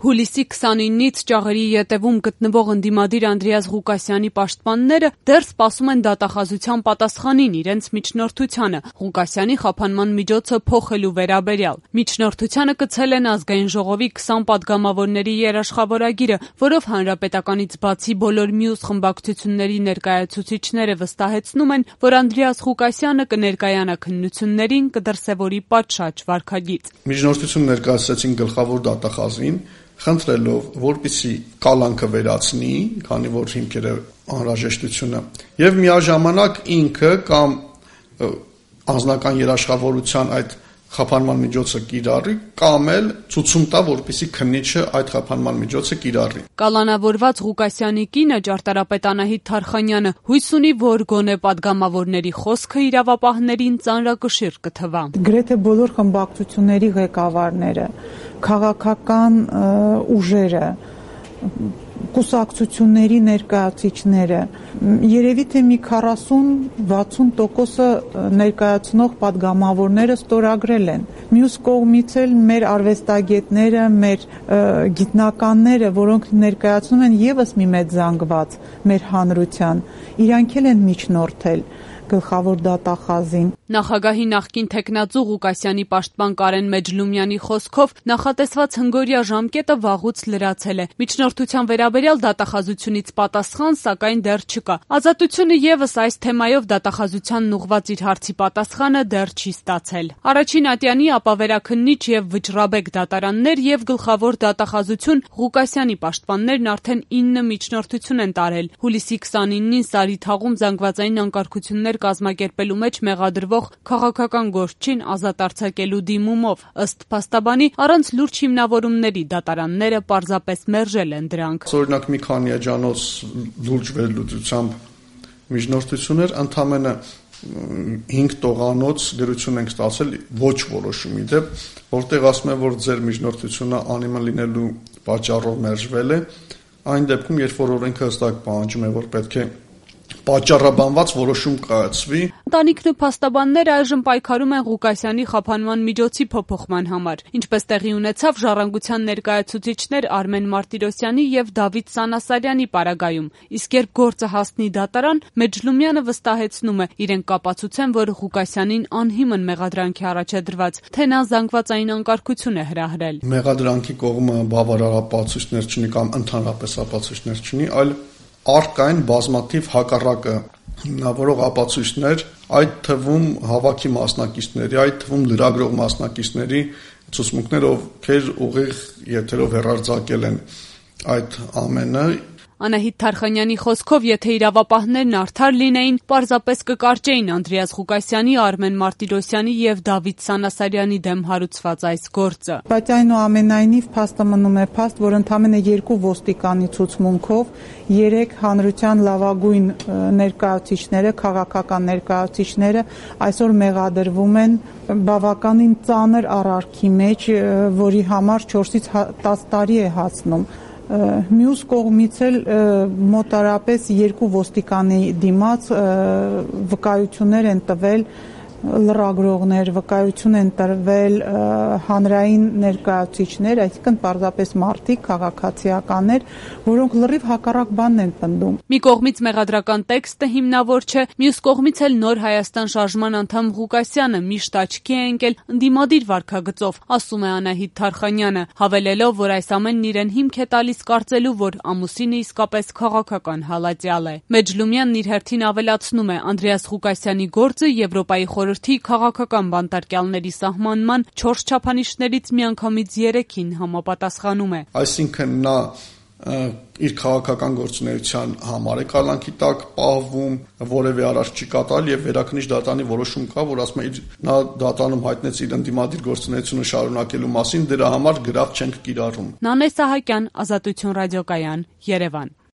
Հուլիսի 29-ից ճաղերի ետևում գտնվող ընդդիմադիր Անդրեաս Ղուկասյանի պաշտպանները դեռ սպասում են դատախազության պատասխանին իրենց միջնորդությանը Ղուկասյանի խափանման միջոցը փոխելու վերաբերյալ։ Միջնորդությանը կցել են Ազգային ժողովի 20 պատգամավորների երաշխավորագիրը, որով հանրապետականից բացի բոլոր մյուս խմբակցությունների ներկայացուցիչները վստահեցնում են, որ Անդրեաս Ղուկասյանը կներկայանա քննություններին, կդրսևորի պատշաճ վարքագիծ։ Միջնորդություն ներկայացրեցին գլխավոր դատախազին, խնդրելով, որպեսզի կալանքը վերացնի, քանի որ հիմքերը անհրաժեշտությունը, եւ միաժամանակ ինքը կամ անձնական երաշխավորության այդ խափանման միջոցը կիրառի, կամ էլ ցուցում տա, որպեսզի քննիչը այդ խափանման միջոցը կիրառի։ Կալանավորված Ղուկասյանի կինը ճարտարապետ Անահիտ Թարխանյանը հույս ունի, որ գոնե պատգամավորների խոսքը իրավապահներին ծանրակշիռ կթվա։ Գրեթե բոլոր խմբակցությունների ղեկավարները, քաղաքական ուժերը, կուսակցությունների ներկայացուցիչները, երևի թե մի 40-60% ներկայացնող պատգամավորները ստորագրել են։ Մյուս կողմից էլ մեր արվեստագետները, մեր գիտնականները, որոնք ներկայացնում են եւս մի մեծ զանգված մեր հանրության, իրանք էլ են միջնորդել գլխավոր դատախազին։ Նախագահի նախկին թեկնածու Ղուկասյանի պաշտպան Կարեն Մեջլումյանի խոսքով նախատեսված հնգօրյա ժամկետը վաղուց լրացել է։ Միջնորդության վերաբերյալ դատախազությունից պատասխան, սակայն դեռ չկա։ Ազատությունը եւս այս թեմայով դատախազությանն ուղղված իր հարցի պատասխանը դեռ չի ստացել։ Առաջին ատյանի ապավերաքննիչ եւ վճռաբեկ դատարաններ եւ գլխավոր դատախազություն Ղուկասյանի պաշտպաններն արդեն 9 միջնորդություն են տարել։ Հուլիսի 29-ին Սարիթաղում զանգվածային անկարգություններ կազմակերպելու մեջ մեղադրվող քաղաքական գործչին ազատ արձակելու դիմումով։ Ըստ փաստաբանի, առանց լուրջ հիմնավորումների դատարանները պարզապես մերժել են դրանք։ Օրինակ մի քանի էջանոց լուրջ վերլուծությամբ միջնորդություններ, ընդամենը 5 տողանոց գրություն ենք ստացել ոչ որոշումի դեպ, որտեղ ասում է, որ ձեր միջնորդությունը անիմն լինելու պատճառով մերժվել է, այն դեպքում, երբ որ օրենքը հստակ պահանջում է, որ պետք է պատճառաբանված որոշում կայացվի։ Ընտանիքն ու փաստաբանները այժմ պայքարում են Ղուկասյանի խափանման միջոցի փոփոխման համար, ինչպես տեղի ունեցավ ժառանգության ներկայացուցիչներ Արմեն Մարտիրոսյանի եւ Դավիթ Սանասարյանի պարագայում, իսկ երբ գործը հասնի դատարան, Մեջլումյանը վստահեցնում է, իրենք կապացուցեն, որ Ղուկասյանին անհիմն մեղադրանքի առաջ է դրված, թե նա զանգվածային անկարգություն է հրահրել։ Մեղադրանքի կողմը բավարար ապացույցներ չունի կամ ընդհանրապես ապացույցներ չունի, այլ առկային բազմաթիվ հակառակը հիմնավորող ապացույցներ, այդ թվում հավաքի մասնակիցների, այդ թվում լրագրող մասնակիցների ցուցմունքներ, ովքեր ուղիղ եթերով հեռարձակել են այդ ամենը։ Անահիտ Թարխանյանի խոսքով, եթե իրավապահներն արդար լինեին, պարզապես կկարճեին Անդրեաս Ղուկասյանի, Արմեն Մարտիրոսյանի եւ Դավիթ Սանասարյանի դեմ հարուցված այս գործը։ Բայց այնուամենայնիվ փաստը մնում է փաստ, որ ընդամենը 2 ոստիկանի ցուցմունքով 3 հանրության լավագույն ներկայացուցիչները, քաղաքական ներկայացուցիչները այսօր մեղադրվում են բավականին ծանր առարքի մեջ, որի համար 4-ից 10 տարի է հասնում։ Մյուս կողմից էլ մոտարապես 2 ոստիկանի դիմաց վկայություններ են տվել լրագրողներ, վկայություն են տրվել հանրային ներկայացուցիչներ, այսինքն պարզապես մարդիկ, քաղաքացիականներ, որոնք լրիվ հակառակ բանն են պնդում։ Մի կողմից մեղադրական տեքստը հիմնավոր չէ, մյուս կողմից էլ Նոր Հայաստան շարժման անդամ Ղուկասյանը միշտ աչքի է ընկել ընդդիմադիր վարքագծով, ասում է Անահիտ Թարխանյանը, հավելելով, որ այս ամենն իրեն հիմք է տալիս կարծելու, որ ամուսինը իսկապես քաղաքական հալածյալ է։ Մեջլումյանն իր հերթին ավելացնում է, Անդրեաս Ղուկասյանի գործը Եվրոպայի խորհրդի քաղաքական բանտարկյալների սահմանման 4 չափանիշներից միանգամից 3-ին համապատասխանում է։ Այսինքն նա իր քաղաքական գործունեության համար է կալանքի տակ պահվում, որևէ արարք չի կատարել եւ վերաքննիչ դատարանի որոշում կա, որ ասում է նա դատարանում հայտնեց իր ընդդիմադիր գործունեությունը շարունակելու մասին, դրա համար գրավ չենք կիրառում։ Նանե Սահակյան, Ազատություն ռադիոկայան, Երևան։